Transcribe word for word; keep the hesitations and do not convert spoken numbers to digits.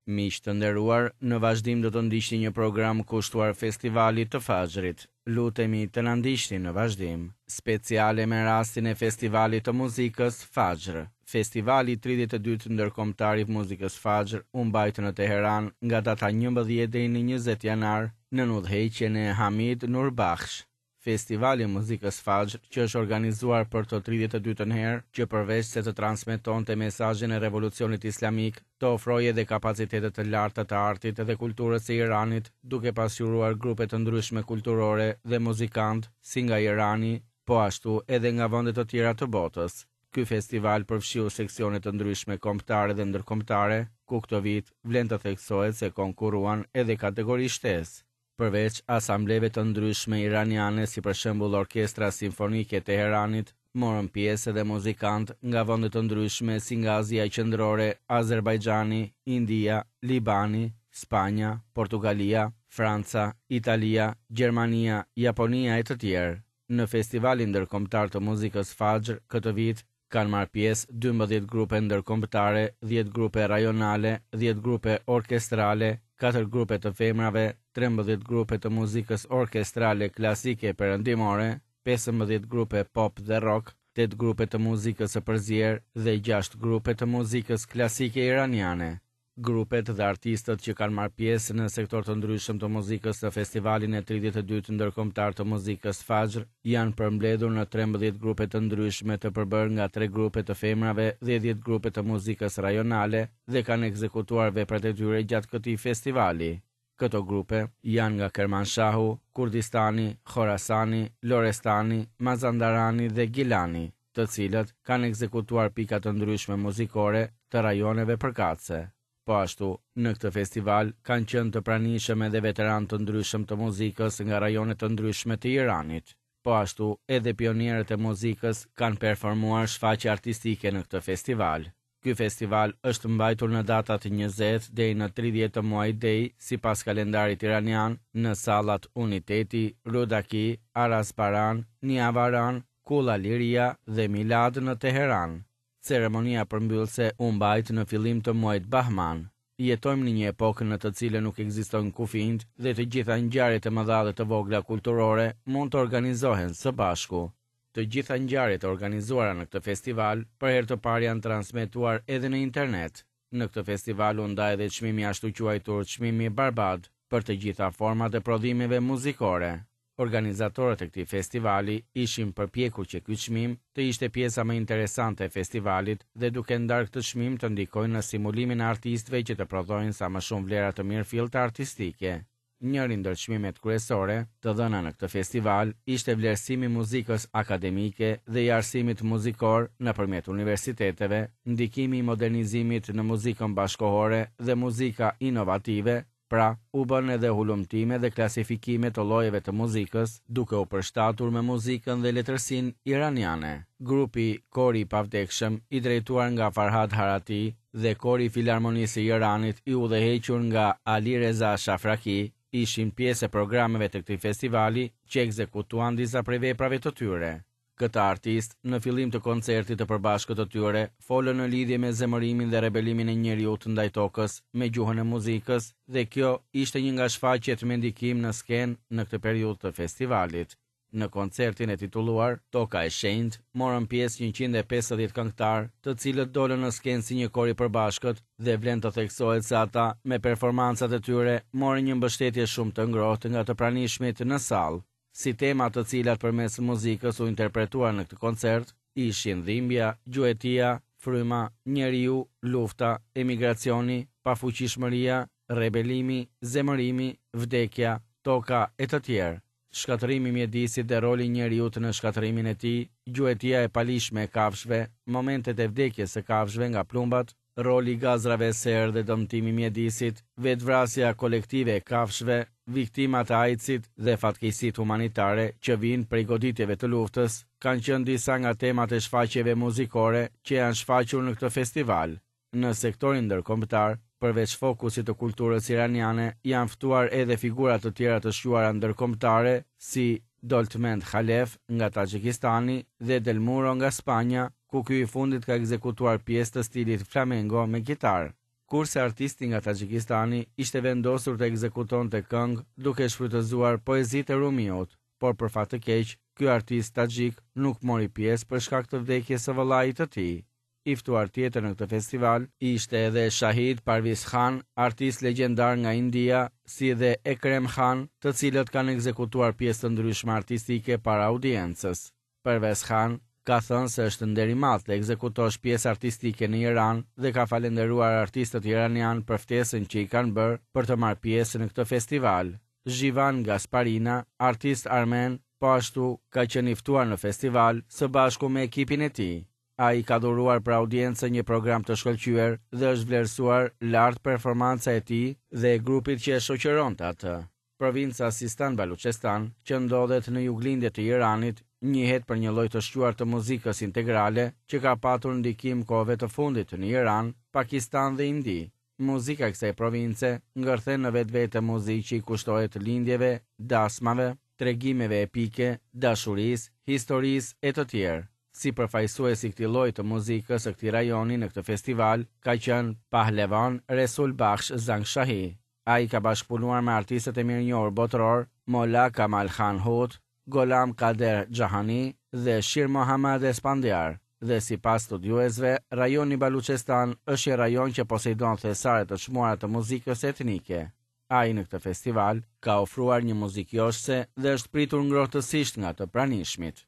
Miq të nderuar, në vazhdim do të ndiqni një program kushtuar festivalit të Fajrit. Lutemi të na ndiqni në vazhdim. Speciale me rastin e festivalit të muzikës Fajr. Festivali tridhjetë e dytë ndërkombëtar i muzikës Fajr u mbajt në Teheran nga data njëmbëdhjetë deri në njëzet janar nën udhëheqjen e Hamid Nurbakhsh. Festivali i muzikës Fajr, që është organizuar për të tridhjetë e dytën herë, që përveç se të transmetonte mesazhin e revolucionit islamik, të ofrojë edhe kapacitete të larta të artit dhe kulturës së Iranit, duke pasqyruar grupe të ndryshme kulturore dhe muzikantë, si nga Irani, po ashtu edhe nga vende të tjera të botës. Ky festival përfshiu seksione të ndryshme kombëtare dhe ndërkombëtare, ku këtë vit vlen të theksohet se konkurruan edhe kategori shtesë. Përveç asambleve të ndryshme iraniane, si për shembull Orkestra Simfonike e Teheranit, morën pjesë edhe muzikantë nga vende të ndryshme si nga Azia Qendrore, Azerbajxhani, India, Libani, Spanja, Portugalia, Franca, Italia, Gjermania, Japonia e të tjerë. Në Festivalin Ndërkombëtar të Muzikës Fajr këtë vit kanë marrë pjesë dymbëdhjetë grupe ndërkombëtare, dhjetë grupe rajonale, dhjetë grupe orkestrale, katër grupe të femrave, trembëdhjetë grupe të muzikës orkestrale klasike perëndimore, pesëmbëdhjetë grupe pop dhe rock, tetë grupe të muzikës së përzier dhe gjashtë grupe të muzikës klasike iraniane. Grupet dhe artistët që kanë marrë pjesë në sektor të ndryshëm të muzikës në festivalin e tridhjetë e dytë ndërkombëtar të muzikës Fajr janë përmbledhur në trembëdhjetë grupe të ndryshme të përbërë nga tre grupe të femrave dhe dhjetë grupe të muzikës rajonale dhe kanë ekzekutuar veprat e tyre gjatë këtij festivali. Këto grupe janë nga Kermanshahu, Kurdistani, Khorasani, Lorestani, Mazandarani dhe Gilani, të cilët kanë ekzekutuar pika të ndryshme muzikore të rajoneve përkatëse. Po ashtu, në këtë festival kanë qenë të pranishëm edhe veteranë të ndryshëm të muzikës nga rajone të ndryshme të Iranit. Po ashtu, edhe pionierët e muzikës kanë performuar shfaqje artistike në këtë festival. Ky festival është mbajtur në datat njëzet deri në tridhjetë të muajit Dej, sipas kalendarit iranian, në sallat Uniteti, Rudaki, Arasbaran, Niavaran, Kulla Liria dhe Milad në Teheran. Ceremonia përmbyllëse u mbajt në fillim të muajit Bahman. Jetojmë në një epokë në të cilën nuk ekzistojnë kufinjt dhe të gjitha ngjarjet e mëdha dhe të vogla kulturore mund të organizohen së bashku. Të gjitha ngjarjet e organizuara në këtë festival për herë të parë janë transmetuar edhe në internet. Në këtë festival u nda edhe çmimi ashtu quajtur çmimi Barbad për të gjitha format e prodhimeve muzikore. Organizatorët e këtij festivali ishin përpjekur që ky çmim të ishte pjesa më interesante e festivalit dhe duke ndarë këtë çmim të ndikojnë në simulimin e artistëve që të prodhojnë sa më shumë vlera të mirëfillta artistike. Njëri ndër çmimet kryesore të dhëna në këtë festival ishte vlerësimi i muzikës akademike dhe i arsimit muzikor nëpërmjet universiteteve, ndikimi i modernizimit në muzikën bashkohore dhe muzika inovative. Pra, u bën edhe hulumtime dhe klasifikime të llojeve të muzikës, duke u përshtatur me muzikën dhe letërsinë iraniane. Grupi Kori i Pavdekshëm, i drejtuar nga Farhad Harati, dhe Kori i Filharmonisë së Iranit, i udhëhequr nga Ali Reza Shafraki, ishin pjesë e programeve të këtij festivali që ekzekutuan disa prej veprave të tyre. Këta artist, në fillim të koncertit të përbashkët të tyre, folën në lidhje me zemërimin dhe rebelimin e njeriut ndaj tokës me gjuhën e muzikës dhe kjo ishte një nga shfaqjet me ndikim në skenë në këtë periudhë të festivalit. Në koncertin e titulluar Toka e Shenjtë morën pjesë njëqind e pesëdhjetë këngëtar, të cilët dolën në skenë si një kor i përbashkët dhe vlen të theksohet se ata me performancat e tyre morën një mbështetje shumë të ngrohtë nga të pranishmit në sallë. Si tema të cilat përmes muzikës u interpretuar në këtë koncert, ishin dhimbja, gjuetia, fryma, njeriu, lufta, emigracioni, pafuqishmëria, rebelimi, zemërimi, vdekja, toka e të tjerë. Shkatërrimi i mjedisit dhe roli i njeriut në shkatërrimin e tij, gjuetia e palishme e kafshëve, momentet e vdekjes së kafshëve nga plumbat, roli i gazrave serë dhe dëmtimi i mjedisit, vetvrasja kolektive e kafshëve, viktimat e AIDS-it dhe fatkeqësitë humanitare që vijnë prej goditjeve të luftës, kanë qenë disa nga temat e shfaqjeve muzikore që janë shfaqur në këtë festival. Në sektorin ndërkombëtar, përveç fokusit të kulturës iraniane, janë ftuar edhe figura të tjera të shquara ndërkombëtare si Doltmend Khalef nga Taxhikistani dhe Del Muro nga Spanja, ku ky i fundit ka ekzekutuar pjesë të stilit flamengo me gitarë. Kurse artisti nga Taxhikistani ishte vendosur të ekzekutonte këngë duke shfrytëzuar poezitë e Rumiut, por për fat të keq, ky artist taxhik nuk mori pjesë për shkak të vdekjes së vëllait të tij. I ftuar tjetër në këtë festival ishte edhe Shahid Parviz Khan, artist legjendar nga India, si dhe Ekrem Khan, të cilët kanë ekzekutuar pjesë të ndryshme artistike para audiencës. Parvez Khan ka thënë se është nder i madh të ekzekutosh pjesë artistike në Iran dhe ka falënderuar artistët iranian për ftesën që i kanë bërë për të marrë pjesë në këtë festival. Jivan Gasparina, artist armen, po ashtu ka qenë i ftuar në festival së bashku me ekipin e tij. Ai ka dhuruar për audiencën një program të shkëlqyer dhe është vlerësuar lart performanca e tij dhe e grupit që e shoqëronte atë. Provinca Sistan Baluchestan, që ndodhet në juglindje të Iranit, njihet për një lloj të shquar të muzikës integrale që ka patur ndikim kohëve të fundit në Iran, Pakistan dhe Indi. Muzika e kësaj province ngërthen në vetvete muzikë që i kushtohet lindjeve, dasmave, tregimeve epike, dashurisë, historisë e të tjerë. Si përfaqësues i këtij lloji të muzikës së këtij rajoni në këtë festival ka qenë Pahlevan Resul Bakhsh Zangshahi. Ai ka bashkëpunuar me artistët e mirënjohur botëror Molla Kamal Khan Hut, Golam Kader Jahani dhe Shir Mohammad Espandiar. Dhe sipas studiuesve, rajoni Baluchestan është një rajon që poseidon thesare të çmuara të muzikës etnike. Ai në këtë festival ka ofruar një muzikë joshëse dhe është pritur ngrohtësisht nga të pranishmit.